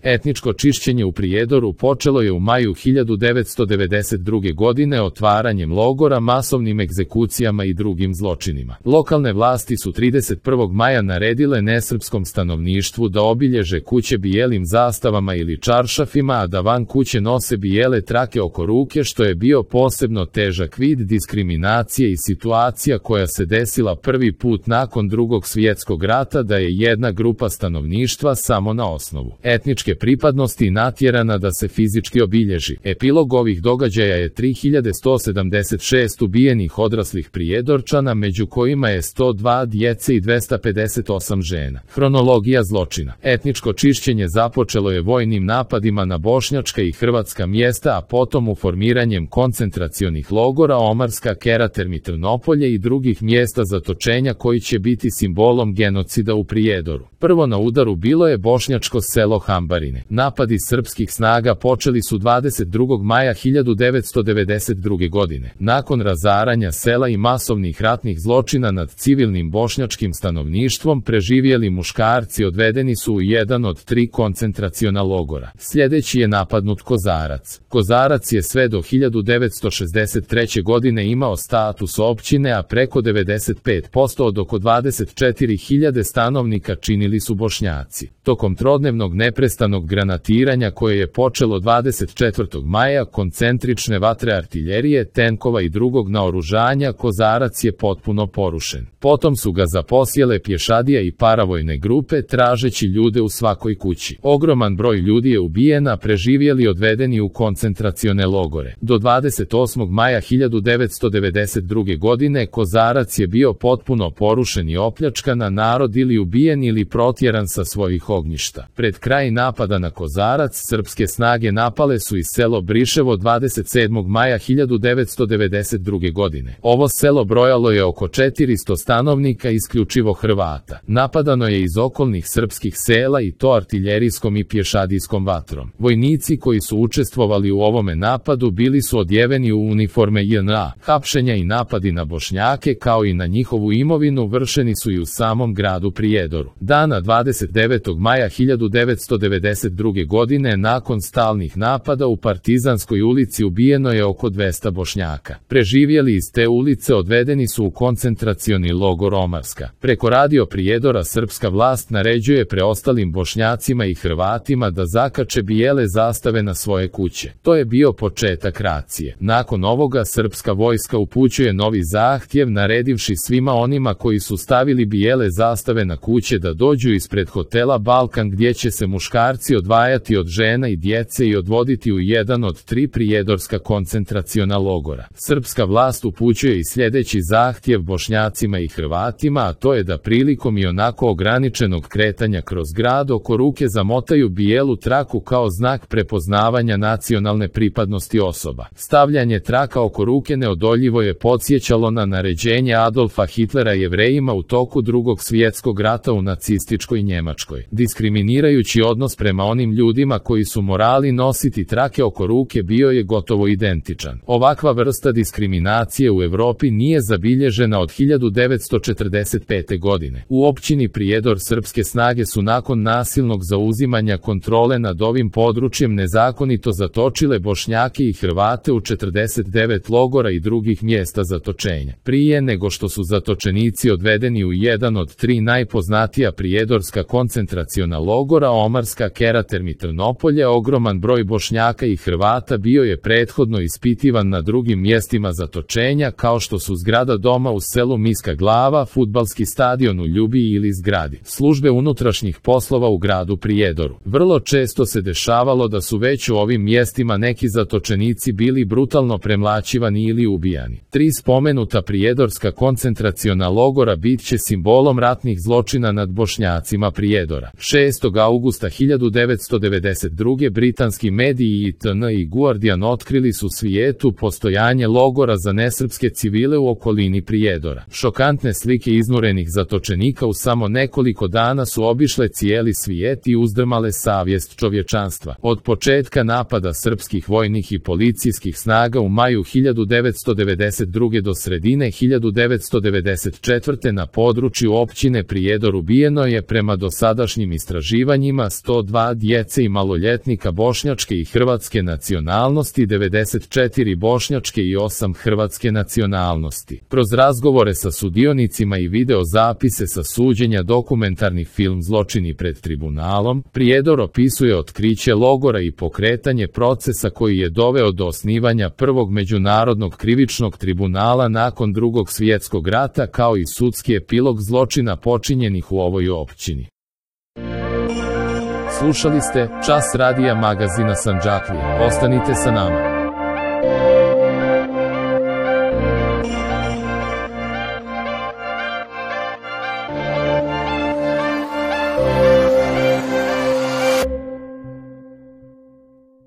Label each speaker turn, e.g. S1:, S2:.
S1: Etničko čišćenje u Prijedoru počelo je u maju 1992. godine otvaranjem logora, masovnim egzekucijama i drugim zločinima. Lokalne vlasti su 31. maja naredile nesrpskom stanovništvu da obilježe kuće bijelim zastavama ili čaršafima, a da van kuće nose bijele trake oko ruke, što je bio posebno težak vid diskriminacije i situacija koja se desila prvi put nakon Drugog svjetskog rata, da je jedna grupa stanovništva samo na osnovu etničke pripadnosti natjerana da se fizički obilježi. Epilog ovih događaja je 3176 ubijenih odraslih Prijedorčana, među kojima je 102 djece i 258 žena. Hronologija zločina. Etničko čišćenje započelo je vojnim napadima na bošnjačka i hrvatska mjesta, a potom u formiranjem koncentracionih logora Omarska, Keraterm i Trnopolje i drugih mjesta zatočenja koji će biti simbolom genocida u Prijedoru. Prvo na udaru bilo je bošnjačko selo Hambarine. Napadi srpskih snaga počeli su 22. maja 1992. godine. Nakon razaranja sela i masovnih ratnih zločina nad civilnim bošnjačkim stanovništvom, preživjeli muškarci odvedeni su u jedan od 3 koncentraciona logora. Sljedeći je napadnut Kozarac. Kozarac je sve do 1963. godine imao status općine, a preko 95% od oko 24.000 stanovnika činili su Bošnjaci. Tokom trodnevnog neprestanog granatiranja koje je počelo 24. maja, koncentrične vatre artiljerije, tenkova i drugog naoružanja, Kozarac je potpuno porušen. Potom su ga zaposjele pješadija i paravojne grupe tražeći ljude u svakoj kući. Ogroman broj ljudi je ubijen, a preživjeli odvedeni u koncentracione logore. Do 28. maja 1992. godine Kozarac je bio potpuno porušen i opljačkan, a narod ili ubijen ili protjeran sa svojih ognjišta. Pred kraj napada na Kozarac, srpske snage napale su i selo Briševo 27. maja 1992. godine. Ovo selo brojalo je oko 400 stanovnika, isključivo Hrvata. Napadano je iz okolnih srpskih sela i to artiljerijskom i pješadijskom vatrom. Vojnici koji su učestvovali u ovome napadu bili su odjeveni u uniforme JNA. Hapšenja i napadi na Bošnjake kao i na njihovu imovinu vršeni su i u samom gradu Prijedoru. Dana 29. maja 1992. godine, nakon stalnih napada u Partizanskoj ulici, ubijeno je oko 200 Bošnjaka. Preživjeli iz te ulice odvedeni su u koncentracioni logor Omarska. Preko radio Prijedora srpska vlast naređuje preostalim Bošnjacima i Hrvatima da zakače bijele zastave na svoje kuće. To je bio početak racije. Nakon ovoga srpska vojska upućuje novi zahtjev, naredivši svima onima koji su stavili bijele zastave na kuće da dođu ispred hotela Balkan, gdje će se muškarci odvajati od žena i djece i odvoditi u jedan od 3 prijedorska koncentraciona logora. Srpska vlast upućuje i sljedeći zahtjev Bošnjacima i Hrvatima, a to je da prilikom i onako ograničenog kretanja kroz grad oko ruke zamotaju bijelu traku kao znak prepoznavanja nacionalne pripadnosti osoba. Stavljanje traka oko ruke neodoljivo je podsjećalo na naređenje Adolfa Hitlera Jevrejima u toku Drugog svjetskog rata u nacističkoj Njemačkoj. Diskriminirajući odnos prema onim ljudima koji su morali nositi trake oko ruke bio je gotovo identičan. Ovakva vrsta diskriminacije u Europi nije zabilježena od 1945. godine. U općini Prijedor srpske snage su nakon nasilnog zauzimanja kontrole nad ovim područjem nezakonito zatočile Bošnjake i Hrvate u 49 logora i drugih mjesta zatočenja. Prije nego što su zatočenici odvedeni u jedan od 3 najpoznatija prijedorska koncentraciona logora Omarska, Keraterm i Trnopolje, ogroman broj Bošnjaka i Hrvata bio je prethodno ispitivan na drugim mjestima zatočenja, kao što su zgrada doma u selu Miska Glava, fudbalski stadion u Ljubiji ili zgradi službe unutrašnjih poslova u gradu Prijedoru. Vrlo često se dešavalo da su već u ovim mjestima neki zatočenici bili brutalno premlaćivani ili ubijani. 3 spomenuta prijedorska koncentraciona logora bit će simbolom ratnih zločina nad Bošnjacima Prijedora. 6. augusta 1992. britanski mediji ITN i Guardian otkrili su svijetu postojanje logora za nesrpske civile u okolini Prijedora. Šokantne slike iznurenih zatočenika u samo nekoliko dana su obišle cijeli svijet i uzdrmale savjest čovječanstva. Od početka napada srpskih vojnih i policijskih snaga u maju 1992. do sredine 1994. na području općine Prijedor ubijeno je prema dosadašnjim istraživanjima 102 djece i maloljetnika bošnjačke i hrvatske nacionalnosti, 94 bošnjačke i 8 hrvatske nacionalnosti. Kroz razgovore sa sudionicima i video zapise sa suđenja dokumentarni film Zločini pred tribunalom, Prijedor opisuje otkriće logora i pokretanje procesa koji je doveo do osnivanja prvog međunarodnog krivičnog tribunala nakon Drugog svjetskog rata, kao i sudski epilog zločina počinjenih u ovoj općini. Slušali ste Čas radija magazina Sandžaklija. Ostanite sa nama.